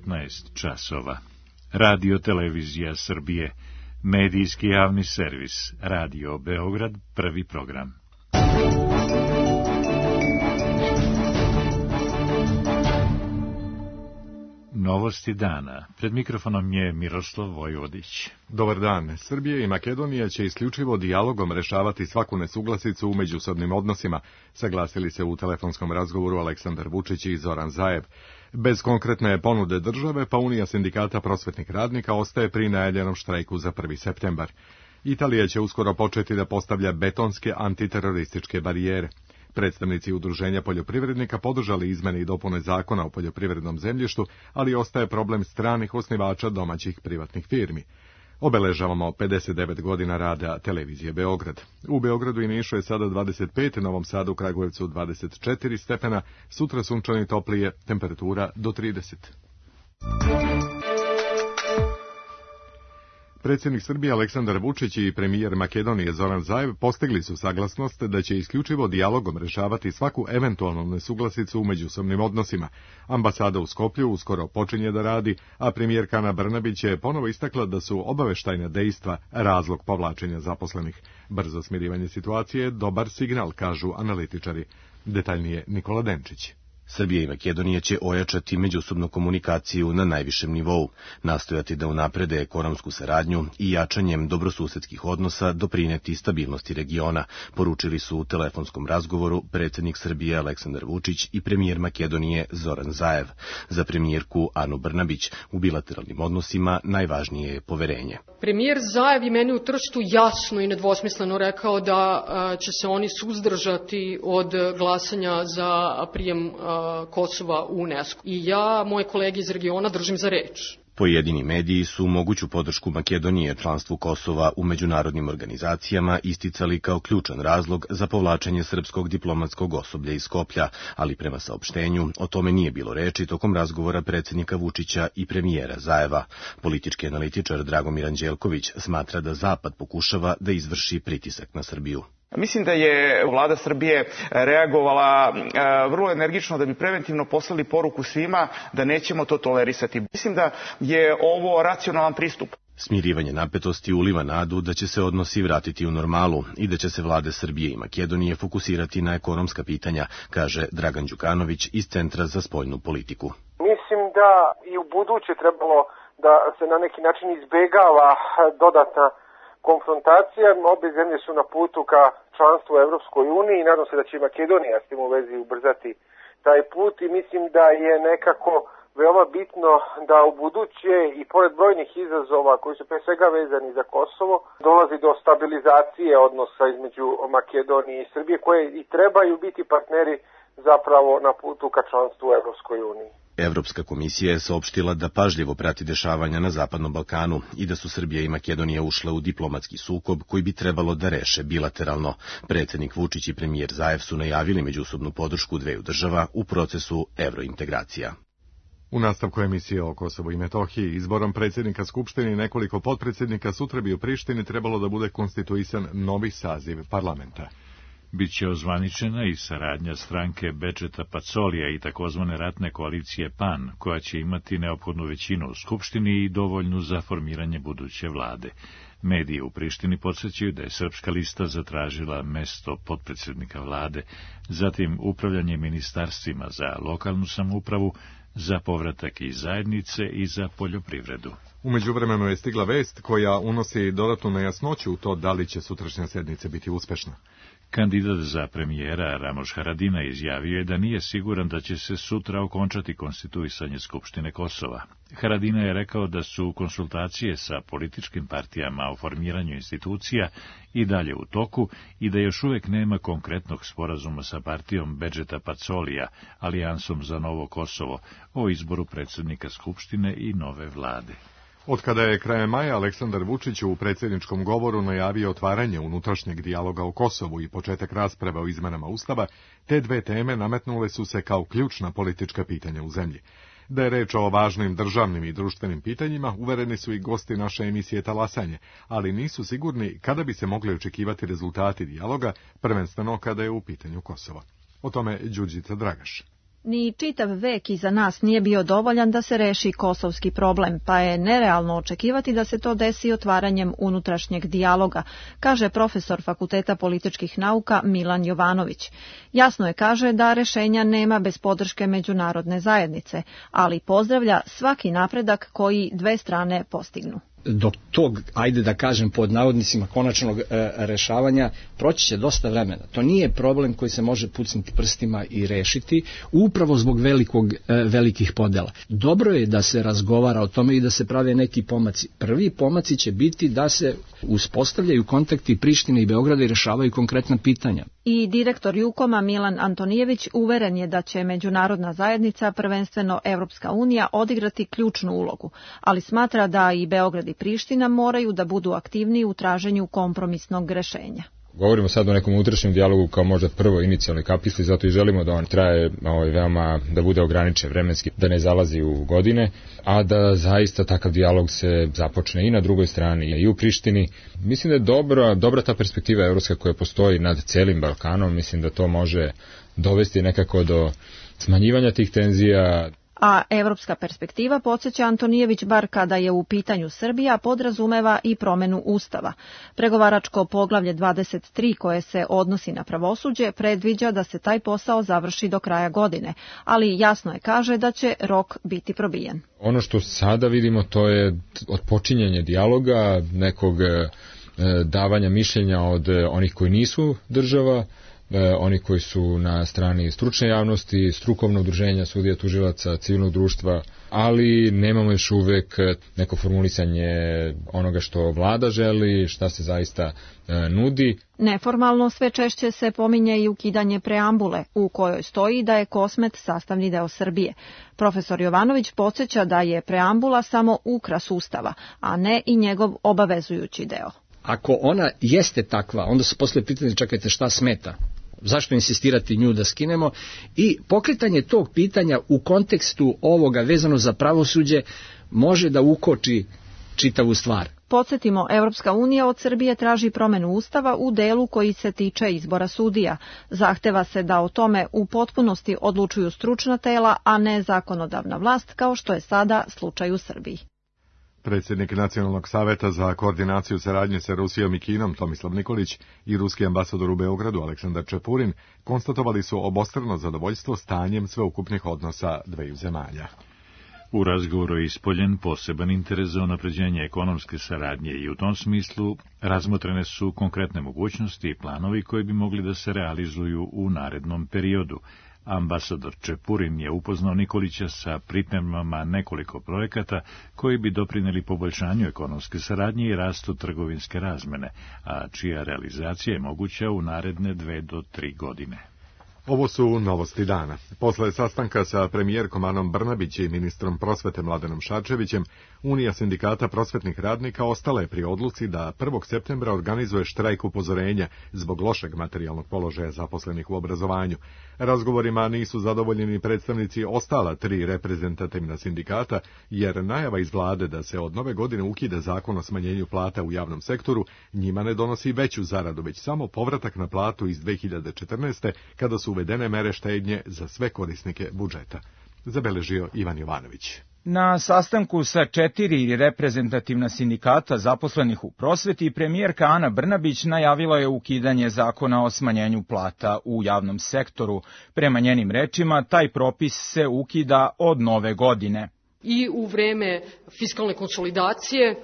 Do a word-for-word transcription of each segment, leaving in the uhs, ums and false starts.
devetnaest časova. Radio Televizija Srbije, medijski javni servis, Radio Beograd, prvi program. Novosti dana. Pred mikrofonom je Miroslav Vojvodić. Dobar dan. Srbija i Makedonija će isključivo dijalogom rešavati svaku nesuglasicu u međusobnim odnosima, saglasili se u telefonskom razgovoru Aleksandar Vučić i Zoran Zaev. Bez konkretne ponude države, pa Unija sindikata prosvetnih radnika ostaje pri najavljenom štrajku za prvi septembar. Italija će uskoro početi da postavlja betonske antiterorističke barijere. Predstavnici udruženja poljoprivrednika podržali izmene i dopune zakona o poljoprivrednom zemljištu, ali ostaje problem stranih osnivača domaćih privatnih firmi. Obeležavamo pedeset devet godina rada Televizije Beograd. U Beogradu i Nišu je sada dvadeset pet, Novom Sadu, Kragujevcu dvadeset četiri stepena, sutra sunčano i toplije, temperatura do trideset. Predsjednik Srbije Aleksandar Vučić i premijer Makedonije Zoran Zaev postigli su saglasnost da će isključivo dijalogom rešavati svaku eventualnu nesuglasicu u međusobnim odnosima. Ambasada u Skoplju uskoro počinje da radi, a premijerka Ana Brnabić je ponovo istakla da su obaveštajna dejstva razlog povlačenja zaposlenih. Brzo smirivanje situacije je dobar signal, kažu analitičari. Detaljnije Nikola Denčić. Srbija i Makedonija će ojačati međusobnu komunikaciju na najvišem nivou, nastojati da unaprede ekonomsku saradnju i jačanjem dobrosusedskih odnosa doprineti stabilnosti regiona, poručili su u telefonskom razgovoru predsjednik Srbije Aleksandar Vučić i premijer Makedonije Zoran Zaev. Za premijerku Anu Brnabić u bilateralnim odnosima najvažnije je poverenje. Premijer Zaev je meni u Trstu jasno i nedvosmisleno rekao da će se oni suzdržati od glasanja za prijem Kosova u UNESCO. I ja, moje kolege iz regiona, držim za reč. Pojedini mediji su moguću podršku Makedonije članstvu Kosova u međunarodnim organizacijama isticali kao ključan razlog za povlačenje srpskog diplomatskog osoblja iz Skoplja, ali prema saopštenju o tome nije bilo reči tokom razgovora predsjednika Vučića i premijera Zaeva. Politički analitičar Dragomir Anđelković smatra da Zapad pokušava da izvrši pritisak na Srbiju. Mislim da je vlada Srbije reagovala vrlo energično da bi preventivno poslali poruku svima da nećemo to tolerisati. Mislim da je ovo racionalan pristup. Smirivanje napetosti uliva nadu da će se odnosi vratiti u normalu i da će se vlade Srbije i Makedonije fokusirati na ekonomska pitanja, kaže Dragan Đukanović iz Centra za spoljnu politiku. Mislim da i u buduće trebalo da se na neki način izbegava dodatna konfrontacija. Obje zemlje su na putu ka članstvu u Evropskoj uniji i nadam se da će i Makedonija s tim u vezi ubrzati taj put i mislim da je nekako veoma bitno da u buduće i pored brojnih izazova koji su pre svega vezani za Kosovo dolazi do stabilizacije odnosa između Makedonije i Srbije koje i trebaju biti partneri zapravo na putu ka članstvu u Evropskoj uniji. Evropska komisija je saopštila da pažljivo prati dešavanja na Zapadnom Balkanu i da su Srbija i Makedonija ušle u diplomatski sukob koji bi trebalo da reše bilateralno. Predsjednik Vučić i premijer Zaev su najavili međusobnu podršku dveju država u procesu evrointegracija. U nastavku emisije o Kosovu i Metohiji, izborom predsjednika Skupštine i nekoliko potpredsjednika sutra bi u Prištini trebalo da bude konstituisan novi saziv parlamenta. Biće ozvaničena i saradnja stranke Bedžeta Pacolija i takozvane ratne koalicije PAN, koja će imati neophodnu većinu u Skupštini i dovoljnu za formiranje buduće vlade. Mediji u Prištini podsjećaju da je Srpska lista zatražila mesto potpredsjednika vlade, zatim upravljanje ministarstvima za lokalnu samoupravu, za povratak iz zajednice i za poljoprivredu. U međuvremenu je stigla vest koja unosi dodatnu nejasnoću u to da li će sutrašnja sednica biti uspešna. Kandidat za premijera Ramoš Haradinaj izjavio je da nije siguran da će se sutra okončati konstituisanje Skupštine Kosova. Haradinaj je rekao da su konsultacije sa političkim partijama o formiranju institucija i dalje u toku i da još uvijek nema konkretnog sporazuma sa partijom Bedžeta Pacolija, Alijansom za novo Kosovo, o izboru predsjednika Skupštine i nove vlade. Od kada je krajem maja Aleksandar Vučić u predsjedničkom govoru najavio otvaranje unutrašnjeg dijaloga o Kosovu i početak rasprave o izmenama Ustava, te dve teme nametnule su se kao ključna politička pitanja u zemlji. Da je reč o važnim državnim i društvenim pitanjima, uvereni su i gosti naše emisije Talasanje, ali nisu sigurni kada bi se mogli očekivati rezultati dijaloga, prvenstveno kada je u pitanju Kosovo. O tome Đurđica Dragaš. Ni čitav vek iza nas nije bio dovoljan da se reši kosovski problem, pa je nerealno očekivati da se to desi otvaranjem unutrašnjeg dijaloga, kaže profesor Fakulteta političkih nauka Milan Jovanović. Jasno je, kaže, da rešenja nema bez podrške međunarodne zajednice, ali pozdravlja svaki napredak koji dve strane postignu. Do tog, ajde da kažem pod navodnicima, konačnog e, rešavanja proći će dosta vremena. To nije problem koji se može pucniti prstima i rešiti upravo zbog velikog, e, velikih podela. Dobro je da se razgovara o tome i da se prave neki pomaci. Prvi pomaci će biti da se uspostavljaju kontakti Prištine i Beograda i rešavaju konkretna pitanja. I direktor Jukoma Milan Antonijević uveren je da će međunarodna zajednica, prvenstveno Evropska unija, odigrati ključnu ulogu, ali smatra da i Beograd i Priština moraju da budu aktivniji u traženju kompromisnog rešenja. Govorimo sad o nekom unutrašnjem dijalogu kao možda prvo inicijalni kapisli, zato i želimo da on traje ovaj, veoma, da bude ograničen vremenski, da ne zalazi u godine, a da zaista takav dijalog se započne i na drugoj strani i u Prištini. Mislim da je dobra, dobra ta perspektiva evropska koja postoji nad celim Balkanom, mislim da to može dovesti nekako do smanjivanja tih tenzija. A evropska perspektiva, podsjeća Antonijević, bar kada je u pitanju Srbija, podrazumeva i promenu Ustava. Pregovaračko poglavlje dvadeset tri koje se odnosi na pravosuđe predviđa da se taj posao završi do kraja godine, ali jasno je, kaže, da će rok biti probijen. Ono što sada vidimo to je otpočinjanje dijaloga, nekog davanja mišljenja od onih koji nisu država, oni koji su na strani stručne javnosti, strukovnog udruženja, sudija, tužilaca, civilnog društva, ali nemamo još uvek neko formulisanje onoga što vlada želi, šta se zaista e, nudi. Neformalno sve češće se pominje i ukidanje preambule, u kojoj stoji da je Kosmet sastavni deo Srbije. Profesor Jovanović podsjeća da je preambula samo ukras Ustava, a ne i njegov obavezujući deo. Ako ona jeste takva, onda se posle pitanje, čekajte, šta smeta? Zašto insistirati nju da skinemo? I pokretanje tog pitanja u kontekstu ovoga vezano za pravosuđe može da ukoči čitavu stvar. Podsjetimo, Evropska unija od Srbije traži promenu Ustava u delu koji se tiče izbora sudija. Zahteva se da o tome u potpunosti odlučuju stručna tela, a ne zakonodavna vlast, kao što je sada slučaj u Srbiji. Predsjednik Nacionalnog saveta za koordinaciju saradnje sa Rusijom i Kinom Tomislav Nikolić i ruski ambasador u Beogradu Aleksandar Čepurin konstatovali su obostrano zadovoljstvo stanjem sveukupnih odnosa dveju zemalja. U razgovoru je ispoljen poseban interes za unapređenje ekonomske saradnje i u tom smislu razmotrene su konkretne mogućnosti i planovi koji bi mogli da se realizuju u narednom periodu. Ambasador Čepurin je upoznao Nikolića sa pripremama nekoliko projekata koji bi doprineli poboljšanju ekonomske saradnje i rastu trgovinske razmene, a čija realizacija je moguća u naredne dve do tri godine. Ovo su novosti dana. Posle sastanka sa premijerkom Anom Brnabić i ministrom prosvete Mladenom Šarčevićem, Unija sindikata prosvetnih radnika ostala je pri odluci da prvog septembra organizuje štrajk upozorenja zbog lošeg materijalnog položaja zaposlenih u obrazovanju. Razgovorima nisu zadovoljeni predstavnici ostala tri reprezentativna sindikata, jer najava iz vlade da se od nove godine ukida zakon o smanjenju plata u javnom sektoru njima ne donosi veću zaradu, već samo povratak na platu iz dve hiljade četrnaeste. kada su uvedene mere štednje za sve korisnike budžeta. Zabeležio Ivan Jovanović. Na sastanku sa četiri reprezentativna sindikata zaposlenih u prosveti, premijerka Ana Brnabić najavila je ukidanje zakona o smanjenju plata u javnom sektoru. Prema njenim rečima, taj propis se ukida od nove godine. I u vreme fiskalne konsolidacije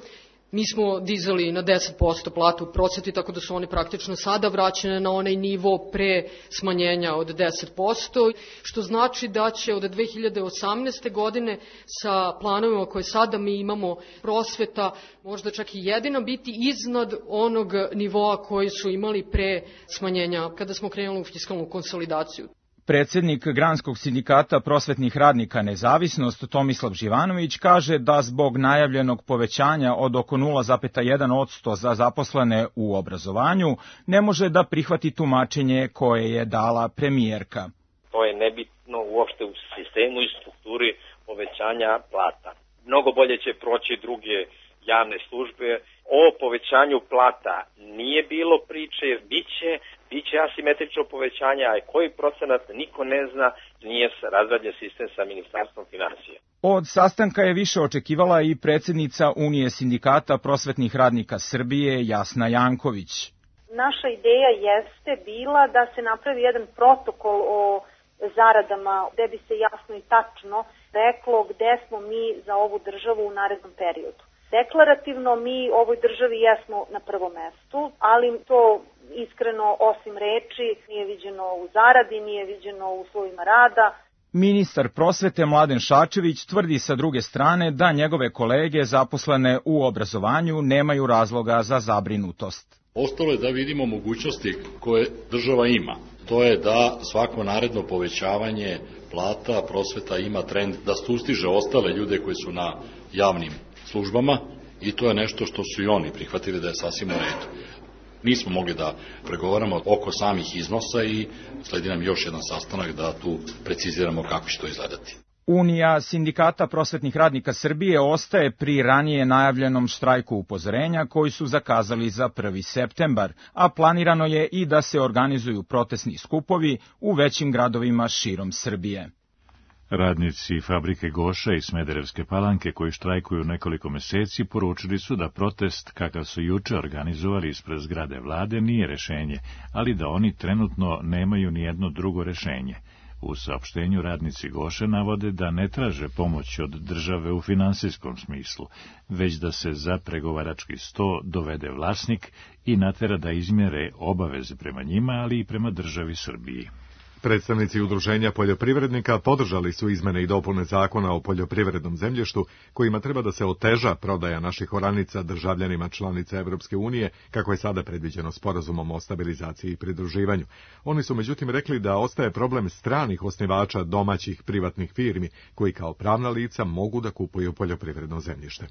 mi smo dizali na deset posto platu u prosveti, tako da su one praktično sada vraćene na onaj nivo pre smanjenja od deset posto, što znači da će od dve hiljade osamnaeste. godine sa planovima koje sada mi imamo prosveta možda čak i jedina biti iznad onog nivoa koji su imali pre smanjenja kada smo krenuli u fiskalnu konsolidaciju. Predsednik Granskog sindikata prosvetnih radnika Nezavisnost Tomislav Živanović kaže da zbog najavljenog povećanja od oko nula zarez jedan posto za zaposlene u obrazovanju ne može da prihvati tumačenje koje je dala premijerka. To je nebitno uopšte u sistemu i strukturi povećanja plata. Mnogo bolje će proći druge javne službe. O povećanju plata nije bilo priče, biće, biće asimetrično povećanje, a koji procenat niko ne zna, nije razrađen sistem sa Ministarstvom finansija. Od sastanka je više očekivala i predsjednica Unije sindikata prosvetnih radnika Srbije Jasna Janković. Naša ideja jeste bila da se napravi jedan protokol o zaradama gde bi se jasno i tačno reklo gde smo mi za ovu državu u narednom periodu. Deklarativno mi ovoj državi jesmo na prvom mestu, ali to iskreno osim reči nije viđeno u zaradi, nije viđeno u uslovima rada. Ministar prosvete Mladen Šarčević tvrdi sa druge strane da njegove kolege zaposlene u obrazovanju nemaju razloga za zabrinutost. Ostalo je da vidimo mogućnosti koje država ima. To je da svako naredno povećavanje plata prosveta ima trend da sustiže ostale ljude koji su na javnim službama i to je nešto što su i oni prihvatili da je sasvim u redu. Nismo mogli da pregovaramo oko samih iznosa i sledi nam još jedan sastanak da tu preciziramo kako će to izgledati. Unija sindikata prosvetnih radnika Srbije ostaje pri ranije najavljenom štrajku upozorenja koji su zakazali za prvi septembar, a planirano je i da se organizuju protestni skupovi u većim gradovima širom Srbije. Radnici fabrike Goša i Smederevske Palanke koji štrajkuju nekoliko meseci poručili su da protest kakav su juče organizovali ispred zgrade vlade nije rešenje, ali da oni trenutno nemaju ni jedno drugo rešenje. U saopštenju radnici Goše navode da ne traže pomoć od države u finansijskom smislu, već da se za pregovarački sto dovede vlasnik i natera da izmjere obaveze prema njima, ali i prema državi Srbiji. Predstavnici udruženja poljoprivrednika podržali su izmene i dopune zakona o poljoprivrednom zemljištu, kojima treba da se oteža prodaja naših oranica državljanima članica Evropske unije, kako je sada predviđeno sporazumom o stabilizaciji i pridruživanju. Oni su međutim rekli da ostaje problem stranih osnivača domaćih privatnih firmi, koji kao pravna lica mogu da kupuju poljoprivredno zemljište.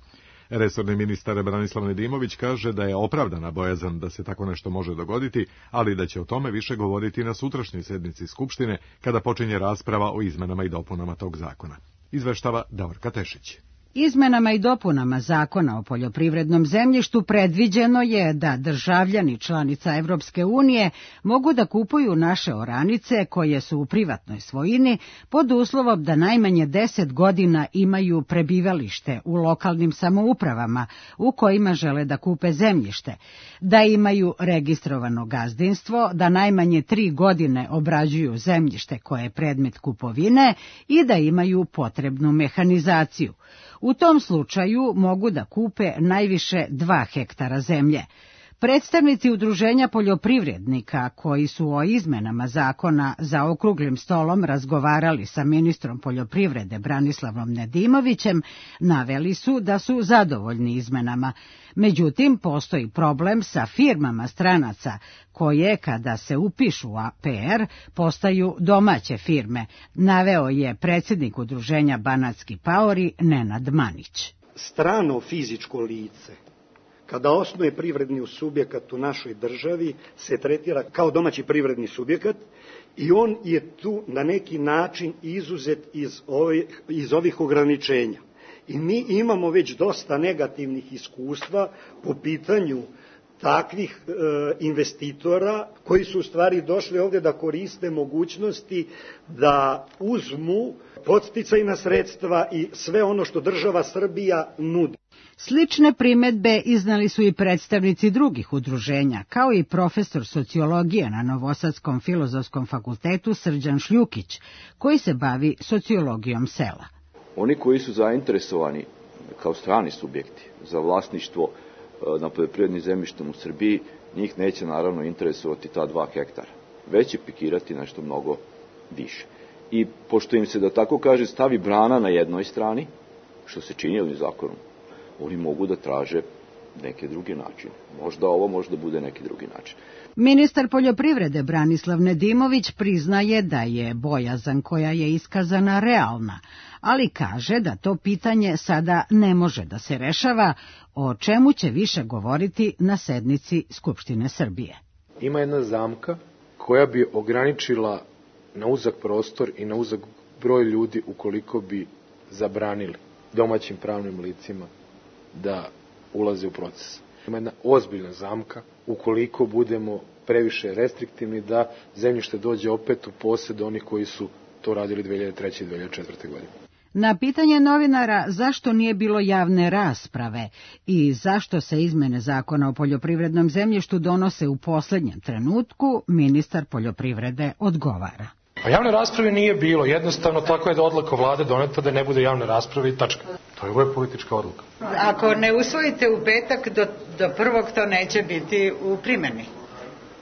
Resorni ministar Branislav Nedimović kaže da je opravdana bojazan da se tako nešto može dogoditi, ali da će o tome više govoriti na sutrašnjoj sednici Skupštine, kada počinje rasprava o izmenama i dopunama tog zakona. Izveštava Davorka Tešić. Izmenama i dopunama Zakona o poljoprivrednom zemljištu predviđeno je da državljani članica Evropske unije mogu da kupuju naše oranice koje su u privatnoj svojini pod uslovom da najmanje deset godina imaju prebivalište u lokalnim samoupravama u kojima žele da kupe zemljište, da imaju registrovano gazdinstvo, da najmanje tri godine obrađuju zemljište koje je predmet kupovine i da imaju potrebnu mehanizaciju. U tom slučaju mogu da kupe najviše dva hektara zemlje. Predstavnici udruženja poljoprivrednika koji su o izmenama zakona za okruglim stolom razgovarali sa ministrom poljoprivrede Branislavom Nedimovićem, naveli su da su zadovoljni izmenama. Međutim, postoji problem sa firmama stranaca koje, kada se upišu u A P R, postaju domaće firme, naveo je predsjednik udruženja Banatski paori Nenad Manić. Strano fizičko lice kada osnuje privredni subjekat u našoj državi, se tretira kao domaći privredni subjekat i on je tu na neki način izuzet iz ovih, iz ovih ograničenja. I mi imamo već dosta negativnih iskustva po pitanju takvih e, investitora koji su u stvari došli ovdje da koriste mogućnosti da uzmu podsticajna sredstva i sve ono što država Srbija nudi. Slične primedbe iznali su i predstavnici drugih udruženja, kao i profesor sociologije na Novosadskom filozofskom fakultetu Srđan Šljukić, koji se bavi sociologijom sela. Oni koji su zainteresovani kao strani subjekti za vlasništvo na poljoprivrednim zemljištem u Srbiji, njih neće naravno interesovati ta dva hektara, već će pikirati nešto mnogo više. I pošto im se, da tako kaže, stavi brana na jednoj strani, što se čini ovim zakonom, oni mogu da traže neke druge načine. Možda ovo možda bude neki drugi način. Ministar poljoprivrede Branislav Nedimović priznaje da je bojazan koja je iskazana realna, ali kaže da to pitanje sada ne može da se rešava, o čemu će više govoriti na sednici Skupštine Srbije. Ima jedna zamka koja bi ograničila na uzak prostor i na uzak broj ljudi ukoliko bi zabranili domaćim pravnim licima da ulaze u proces. Ima jedna ozbiljna zamka ukoliko budemo previše restriktivni da zemljište dođe opet u posjed onih koji su to radili dve hiljade treće i dve hiljade četvrte. godine. Na pitanje novinara zašto nije bilo javne rasprave i zašto se izmene zakona o poljoprivrednom zemljištu donose u poslednjem trenutku, ministar poljoprivrede odgovara. A javne rasprave nije bilo, jednostavno tako je da odluka vlade doneta da ne bude javne rasprave i tačka. To je ovo je politička odluka. Ako ne usvojite u petak, do, do prvog to neće biti u primjeni.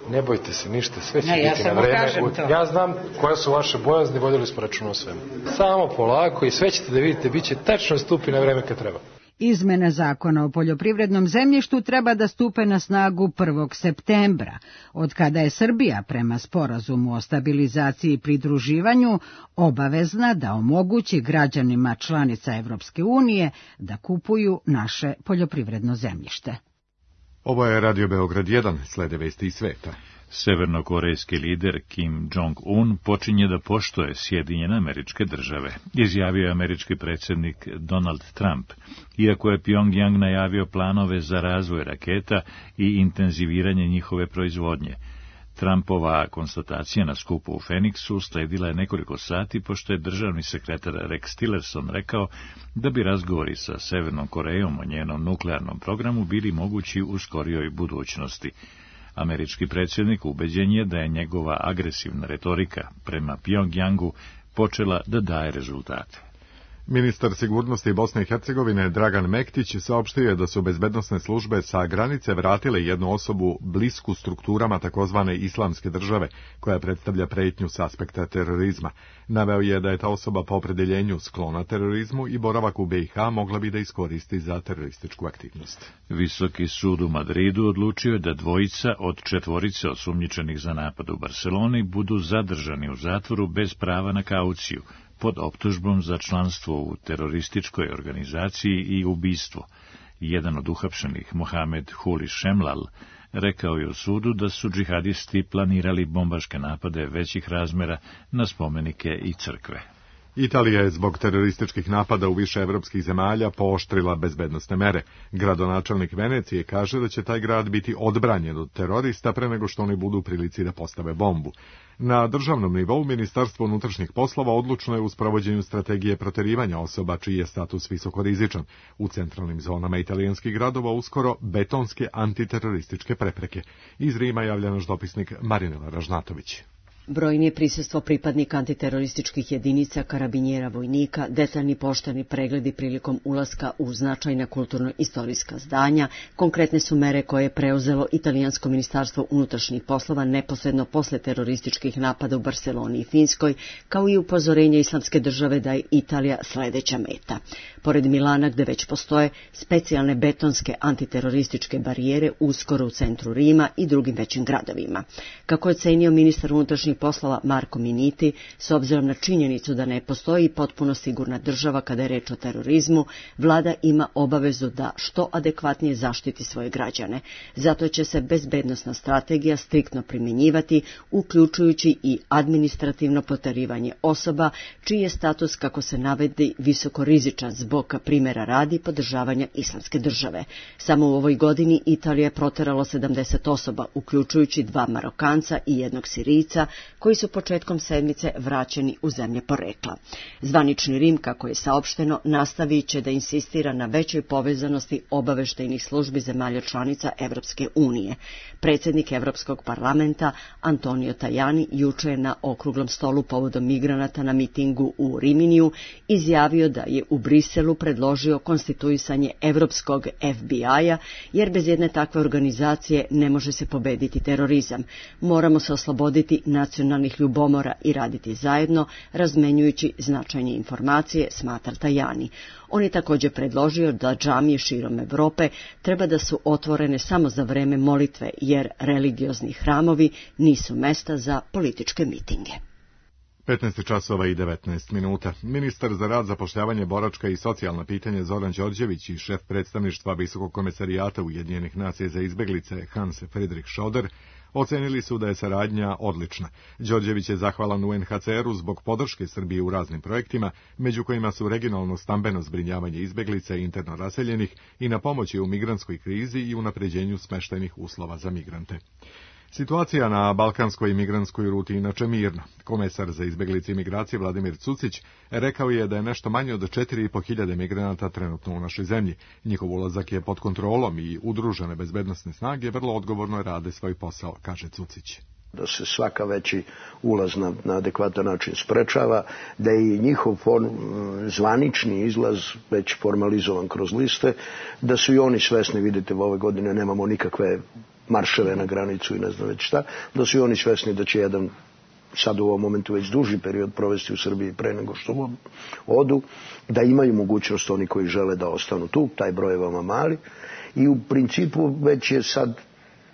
Ne bojte se ništa, sve će ne, biti ja na vreme. To. Ja znam koje su vaše bojazni, vodili smo računa o svemu. Samo polako i sve ćete da vidite, bit će tačno stupi na vreme kad treba. Izmene zakona o poljoprivrednom zemljištu treba da stupe na snagu prvog septembra, od kada je Srbija prema sporazumu o stabilizaciji i pridruživanju obavezna da omogući građanima članica Evropske unije da kupuju naše poljoprivredno zemljište. Ovo je Radio Beograd jedan, slede vesti iz sveta. Severnokorejski lider Kim Jong-un počinje da poštuje Sjedinjene Američke Države, izjavio je američki predsjednik Donald Trump, iako je Pjongjang najavio planove za razvoj raketa i intenziviranje njihove proizvodnje. Trumpova konstatacija na skupu u Feniksu sledila je nekoliko sati, pošto je državni sekretar Rex Tillerson rekao da bi razgovori sa Severnom Korejom o njenom nuklearnom programu bili mogući u skorijoj budućnosti. Američki predsjednik ubeđen je da je njegova agresivna retorika prema Pjongjangu počela da daje rezultate. Ministar sigurnosti Bosne i Hercegovine Dragan Mektić saopštio je da su bezbednosne službe sa granice vratile jednu osobu blisku strukturama takozvane islamske države, koja predstavlja pretnju s aspekta terorizma. Naveo je da je ta osoba po opredeljenju sklona terorizmu i boravak u be i ha mogla bi da iskoristi za terorističku aktivnost. Visoki sud u Madridu odlučio je da dvojica od četvorice osumnjičenih za napad u Barseloni budu zadržani u zatvoru bez prava na kauciju, pod optužbom za članstvo u terorističkoj organizaciji i ubistvo. Jedan od uhapšenih, Mohamed Huli Šemlal, rekao je u sudu da su džihadisti planirali bombaške napade većih razmera na spomenike i crkve. Italija je zbog terorističkih napada u više evropskih zemalja pooštrila bezbednosne mere. Gradonačelnik Venecije kaže da će taj grad biti odbranjen od terorista pre nego što oni budu u prilici da postave bombu. Na državnom nivou Ministarstvo unutrašnjih poslova odlučno je u sprovođenju strategije proterivanja osoba čiji je status visokorizičan. U centralnim zonama italijanskih gradova uskoro betonske antiterorističke prepreke. Iz Rima javlja naš dopisnik Marinela Ražnatović. Brojni je prisustvo pripadnika antiterorističkih jedinica, karabinjera, vojnika, detaljni pošteni pregledi prilikom ulaska u značajna kulturno-istorijska zdanja, konkretne su mere koje je preuzelo italijansko ministarstvo unutrašnjih poslova neposredno posle terorističkih napada u Barseloni i Finskoj, kao i upozorenje Islamske države da je Italija sledeća meta. Pored Milana, gde već postoje specijalne betonske antiterorističke barijere uskoro u centru Rima i drugim većim gradovima. Kako je cenio ministar unutrašnjih poslova Marko Miniti, s obzirom na činjenicu da ne postoji potpuno sigurna država kada je reč o terorizmu, vlada ima obavezu da što adekvatnije zaštiti svoje građane. Zato će se bezbednosna strategija striktno primjenjivati, uključujući i administrativno proterivanje osoba, čiji je status, kako se navedi, visokorizičan zbog primjera radi podržavanja Islamske države. Samo u ovoj godini Italija je proteralo sedamdeset osoba, uključujući dva Marokanca i jednog Sirijca, koji su početkom sedmice vraćeni u zemlje porekla. Zvanični Rim, kako je saopšteno, nastavit će da insistira na većoj povezanosti obaveštajnih službi zemalja članica Evropske unije. Predsjednik Evropskog parlamenta Antonio Tajani juče je na okruglom stolu povodom migranata na mitingu u Riminiju izjavio da je u Briselu predložio konstituisanje Evropskog F B I-a, jer bez jedne takve organizacije ne može se pobediti terorizam. Moramo se osloboditi nacionalnih ljubomora i raditi zajedno, razmenjujući značajne informacije, smatra Tajani. On je također predložio da džamije širom Evrope treba da su otvorene samo za vreme molitve, jer religiozni hramovi nisu mesta za političke mitinge. petnaest časova i devetnaest minuta. Ministar za rad, zapošljavanje, boračka i socijalna pitanja Zoran Đorđević i šef predstavništva Visokog komesarijata Ujedinjenih nacija za izbeglice Hans Friedrich Schoder ocenili su da je saradnja odlična. Đorđević je zahvalan U N H C R-u zbog podrške Srbije u raznim projektima, među kojima su regionalno stambeno zbrinjavanje izbeglica i interno raseljenih i na pomoći u migrantskoj krizi i unapređenju smeštajnih uslova za migrante. Situacija na balkanskoj migrantskoj ruti inače mirna. Komesar za izbeglice i migracije Vladimir Cucić rekao je da je nešto manje od četiri i po hiljade migranata trenutno u našoj zemlji. Njihov ulazak je pod kontrolom i udružene bezbednosne snage vrlo odgovorno rade svoj posao, kaže Cucić. Da se svaka veći ulaz na, na adekvatan način sprečava, da je i njihov form, zvanični izlaz već formalizovan kroz liste, da su i oni svesni, vidite, ove godine nemamo nikakve marševe na granicu i ne znam već šta, da su i oni svesni da će jedan sad u ovom momentu već duži period provesti u Srbiji pre nego što odu, da imaju mogućnost oni koji žele da ostanu tu, taj broj je veoma mali i u principu već je sad,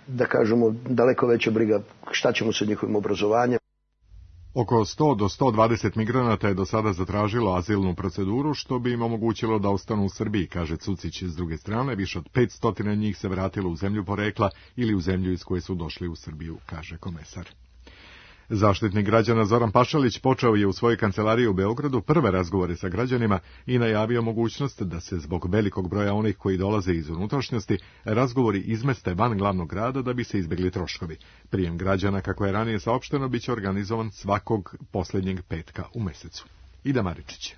da kažemo, daleko veća briga šta ćemo sa njihovim obrazovanjem. Oko sto do sto dvadeset migranata je do sada zatražilo azilnu proceduru, što bi im omogućilo da ostanu u Srbiji, kaže Cucić. S druge strane, više od petsto njih se vratilo u zemlju porekla ili u zemlju iz koje su došli u Srbiju, kaže komesar. Zaštitnik građana Zoran Pašalić počeo je u svojoj kancelariji u Beogradu prve razgovore sa građanima i najavio mogućnost da se zbog velikog broja onih koji dolaze iz unutrašnjosti razgovori izmeste van glavnog grada da bi se izbegli troškovi. Prijem građana, kako je ranije saopšteno, biće organizovan svakog posljednjeg petka u mesecu. Ida Maričić.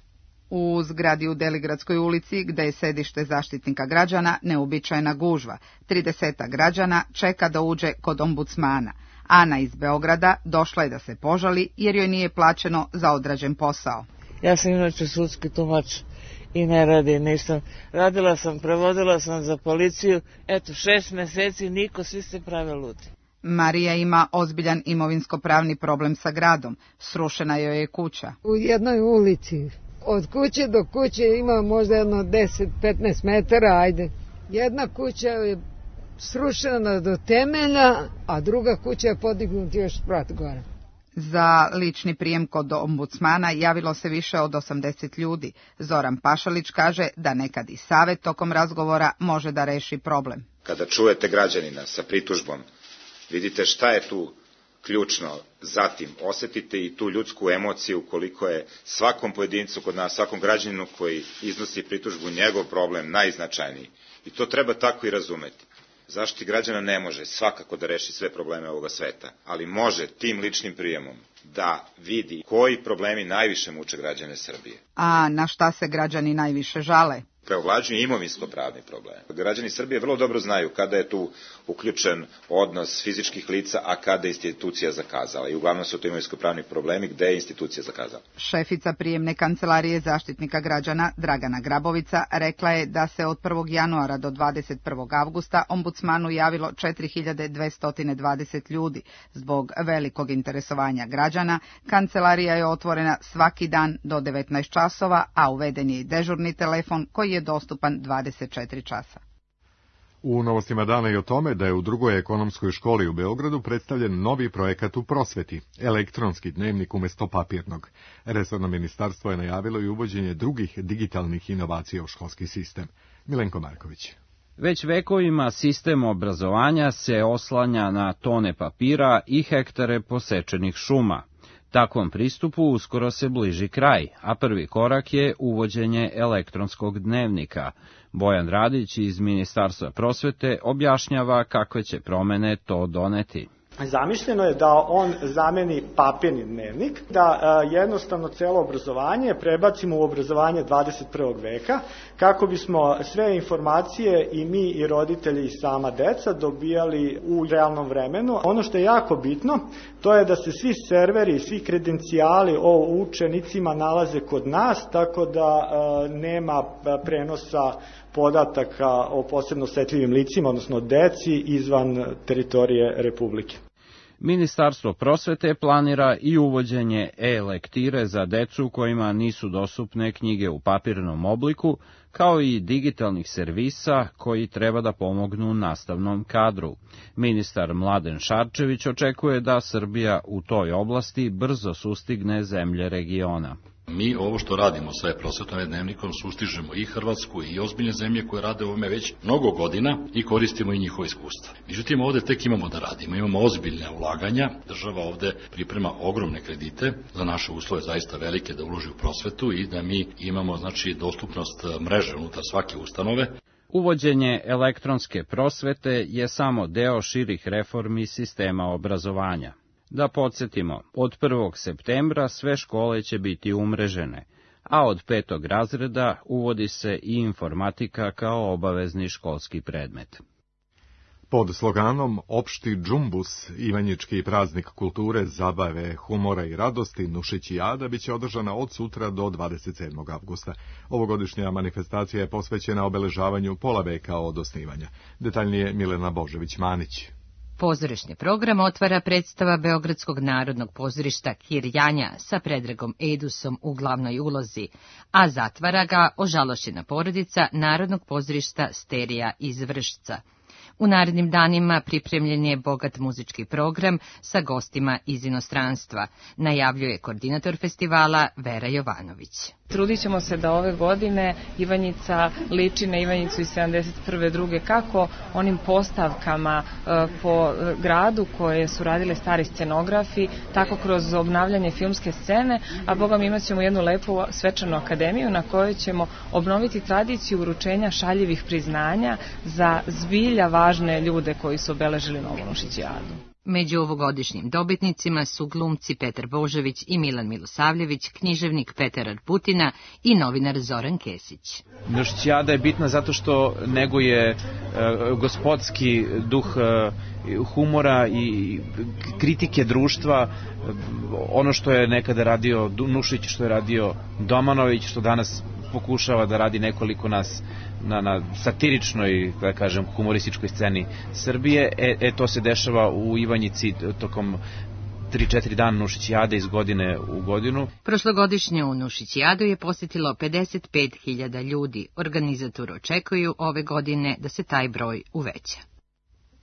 U zgradi u Deligradskoj ulici, gde je sedište Zaštitnika građana, neuobičajena gužva. Trideseta građana čeka da uđe kod ombudsmana. Ana iz Beograda došla je da se požali jer joj nije plaćeno za odrađen posao. Ja sam inače sudski tumač i ne radim, nisam. Radila sam, prevodila sam za policiju, eto šest meseci, niko, svi se prave ludi. Marija ima ozbiljan imovinsko-pravni problem sa gradom. Srušena joj je kuća. U jednoj ulici, od kuće do kuće ima možda jedno deset do petnaest metara, ajde. Jedna kuća je srušena do temelja, a druga kuća je podignuta još sprat gore. Za lični prijem kod ombudsmana javilo se više od osamdeset ljudi. Zoran Pašalić kaže da nekad i savet tokom razgovora može da reši problem. Kada čujete građanina sa pritužbom, vidite šta je tu ključno, zatim osetite i tu ljudsku emociju koliko je svakom pojedincu kod nas, svakom građaninu koji iznosi pritužbu njegov problem najznačajniji. I to treba tako i razumeti. Zaštitnik građana ne može svakako da reši sve probleme ovoga sveta, ali može tim ličnim prijemom da vidi koji problemi najviše muče građane Srbije. A na šta se građani najviše žale? Preovlađuju imovinsko-pravni problem. Građani Srbije vrlo dobro znaju kada je tu uključen odnos fizičkih lica, a kada je institucija zakazala. I uglavnom su to imovinsko-pravni problemi gde je institucija zakazala. Šefica prijemne kancelarije Zaštitnika građana Dragana Grabovica rekla je da se od prvog januara do dvadeset prvog avgusta ombudsmanu javilo četiri hiljade dvesta dvadeset ljudi. Zbog velikog interesovanja građana, kancelarija je otvorena svaki dan do devetnaest časova, a uveden je i dežurni telefon koji je dostupan dvadeset četiri časa. U novostima dana i o tome da je u drugoj ekonomskoj školi u Beogradu predstavljen novi projekat u prosveti, elektronski dnevnik umesto papirnog. Resorno ministarstvo je najavilo i uvođenje drugih digitalnih inovacija u školski sistem. Milenko Marković. Već vekovima sistem obrazovanja se oslanja na tone papira i hektare posečenih šuma. Takvom pristupu uskoro se bliži kraj, a prvi korak je uvođenje elektronskog dnevnika. Bojan Radić iz Ministarstva prosvete objašnjava kakve će promene to doneti. Zamišljeno je da on zameni papirni dnevnik, da jednostavno celo obrazovanje prebacimo u obrazovanje dvadeset prvog veka, kako bismo sve informacije i mi i roditelji i sama deca dobijali u realnom vremenu. Ono što je jako bitno, to je da se svi serveri, svi kredencijali o učenicima nalaze kod nas, tako da nema prenosa podataka o posebno osetljivim licima, odnosno deci, izvan teritorije Republike. Ministarstvo prosvete planira i uvođenje e-lektire za decu kojima nisu dostupne knjige u papirnom obliku, kao i digitalnih servisa koji treba da pomognu nastavnom kadru. Ministar Mladen Šarčević očekuje da Srbija u toj oblasti brzo sustigne zemlje regiona. Mi ovo što radimo sa e-prosvetom dnevnikom sustižemo i Hrvatsku i ozbiljne zemlje koje rade ovome već mnogo godina i koristimo i njihovo iskustva. Međutim, ovde tek imamo da radimo, imamo ozbiljne ulaganja, država ovde priprema ogromne kredite, za naše uslove zaista velike da uloži u prosvetu i da mi imamo znači dostupnost mreže unutar svake ustanove. Uvođenje elektronske prosvete je samo deo širih reformi sistema obrazovanja. Da podsjetimo, od prvog septembra sve škole će biti umrežene, a od petog razreda uvodi se i informatika kao obavezni školski predmet. Pod sloganom Opšti džumbus, ivanjički praznik kulture, zabave, humora i radosti, Nušićijada biće održana od sutra do dvadeset sedmog avgusta. Ovogodišnja manifestacija je posvećena obeležavanju pola veka od osnivanja. Detaljnije Milena Božević-Manić. Pozorišni program otvara predstava Beogradskog narodnog pozorišta Kir Janja sa Predragom Edusom u glavnoj ulozi, a zatvara ga ožalošćena porodica Narodnog pozorišta Sterija iz Vršca. U narednim danima pripremljen je bogat muzički program sa gostima iz inostranstva, najavljuje koordinator festivala Vera Jovanović. Trudit ćemo se da ove godine Ivanjica liči na Ivanjicu iz sedamdeset prve druge, kako onim postavkama e, po gradu koje su radile stari scenografi, tako kroz obnavljanje filmske scene, a boga mi imat ćemo jednu lepu svečanu akademiju na kojoj ćemo obnoviti tradiciju uručenja šaljivih priznanja za zbilja važne ljude koji su obeležili novu Nušićijadu. Među ovogodišnjim dobitnicima su glumci Petar Božović i Milan Milosavljević, književnik Petar Arputina i novinar Zoran Kesić. Nušićijada je bitna zato što neguje e, gospodski duh e, humora i kritike društva, ono što je nekada radio Nušić, što je radio Domanović, što danas pokušava da radi nekoliko nas na, na satiričnoj, da kažem, humorističkoj sceni Srbije. E, e to se dešava u Ivanjici tokom tri četiri dana Nušićijade iz godine u godinu. Prošlogodišnju Nušićijadu je posjetilo pedeset pet hiljada ljudi. Organizatori očekuju ove godine da se taj broj uveća.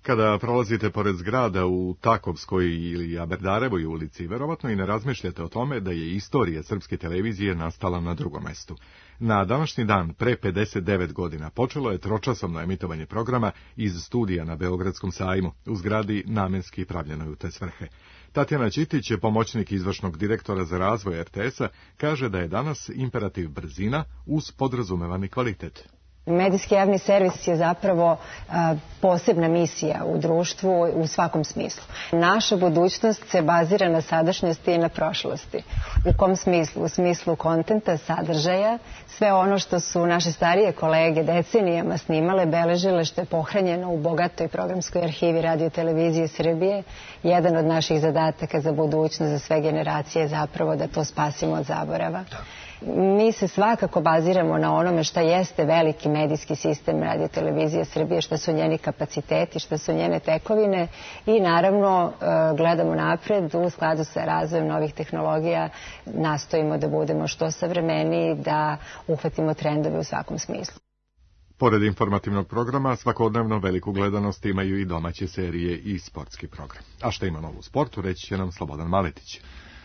Kada prolazite pored zgrada u Takovskoj ili Aberdarevoj ulici, verovatno i ne razmišljate o tome da je istorija srpske televizije nastala na drugom mestu. Na današnji dan, pre pedeset devet godina, počelo je tročasovno emitovanje programa iz studija na Beogradskom sajmu, u zgradi namenski pravljenoj u te svrhe. Tatjana Ćitić, pomoćnik izvršnog direktora za razvoj er te es-a, kaže da je danas imperativ brzina uz podrazumevani kvalitet. Medijski javni servis je zapravo a, posebna misija u društvu u svakom smislu. Naša budućnost se bazira na sadašnjosti i na prošlosti. U kom smislu? U smislu kontenta, sadržaja, sve ono što su naše starije kolege decenijama snimale, beležile, što je pohranjeno u bogatoj programskoj arhivi Radio Televizije Srbije. Jedan od naših zadataka za budućnost, za sve generacije je zapravo da to spasimo od zaborava. Mi se svakako baziramo na onome šta jeste veliki medijski sistem Radio Televizije Srbije, šta su njeni kapaciteti, šta su njene tekovine i naravno gledamo napred u skladu sa razvojem novih tehnologija, nastojimo da budemo što savremeniji, da uhvatimo trendove u svakom smislu. Pored informativnog programa, svakodnevno veliku gledanost imaju i domaće serije i sportski program. A šta ima novo u sportu, reći će nam Slobodan Maletić.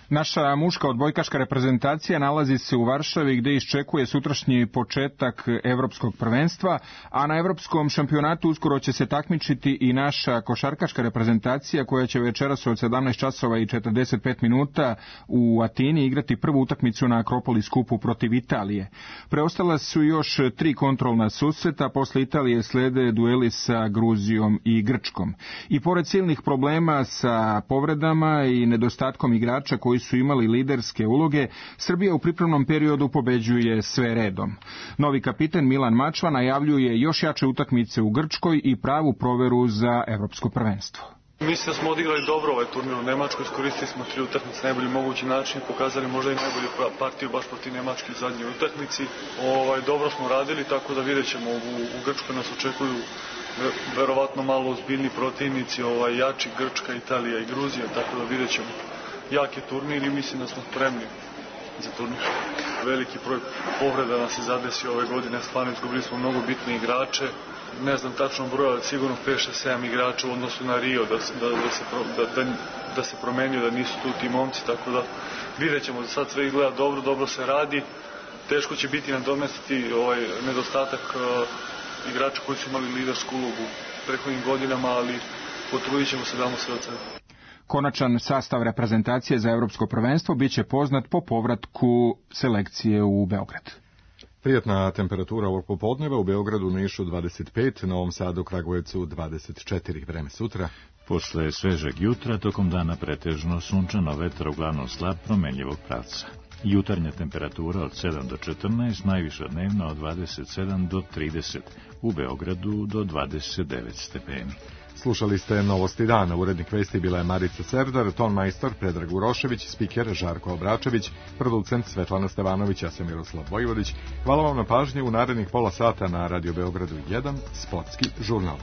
Naša muška odbojkaška reprezentacija nalazi se u Varšavi gde iščekuje sutrašnji početak evropskog prvenstva, a na evropskom šampionatu uskoro će se takmičiti i naša košarkaška reprezentacija koja će večeras od sedamnaest časova i četrdeset pet minuta u Atini igrati prvu utakmicu na Akropolis kupu protiv Italije. Preostala su još tri kontrolna susreta, posle Italije slede dueli sa Gruzijom i Grčkom. I pored silnih problema sa povredama i nedostatkom igrača koji su imali liderske uloge, Srbija u pripremnom periodu pobeđuje sve redom. Novi kapiten Milan Mačva najavljuje još jače utakmice u Grčkoj i pravu proveru za evropsko prvenstvo. Mislim da smo odigrali dobro ovaj turnir u Nemačkoj, iskoristili smo tri utakmice na najbolji mogući način i pokazali možda i najbolju partiju baš protiv Nemačke u zadnjoj utakmici. Ovaj, dobro smo radili, tako da vidjet ćemo u, u Grčkoj nas očekuju verovatno malo ozbiljni protivnici, ovaj, jači Grčka, Italija i Gruzija, tako da vidjet ćemo. Jak je turnir i mislim da smo spremni za turnir. Veliki broj povreda nas se zadesi ove godine, stvarno izgubili smo mnogo bitne igrače, ne znam tačno broj, ali sigurno pet šest sedam igrača u odnosu na Rio, da, da, da, se, da, da, da se promenio, da nisu tu ti momci, tako da vidjet ćemo da sad sve izgleda dobro, dobro se radi. Teško će biti nadomestiti ovaj nedostatak uh, igrača koji su imali lidersku ulogu prethodnim godinama, ali potrudit ćemo se da damo sve od sebe. Konačan sastav reprezentacije za evropsko prvenstvo biće poznat po povratku selekcije u Beograd. Prijatna temperatura ovog popodneva u Beogradu, Nišu dvadeset pet, Novom Sadu, Kragujevcu dvadeset četiri. Vreme sutra. Posle svežeg jutra, tokom dana pretežno sunčano, vetar uglavnom slab, promenljivog pravca. Jutarnja temperatura od sedam do četrnaest, najviša dnevna od dvadeset sedam do trideset, u Beogradu do dvadeset devet stepeni. Slušali ste Novosti dana. Urednik vesti bila je Marica Serdar, ton majstor Predrag Urošević, spiker Žarko Obračević, producent Svetlana Stevanović, ja sam Miroslav Vojvodić. Hvala vam na pažnji. U narednih pola sata na Radio Beogradu jedan, sportski žurnal.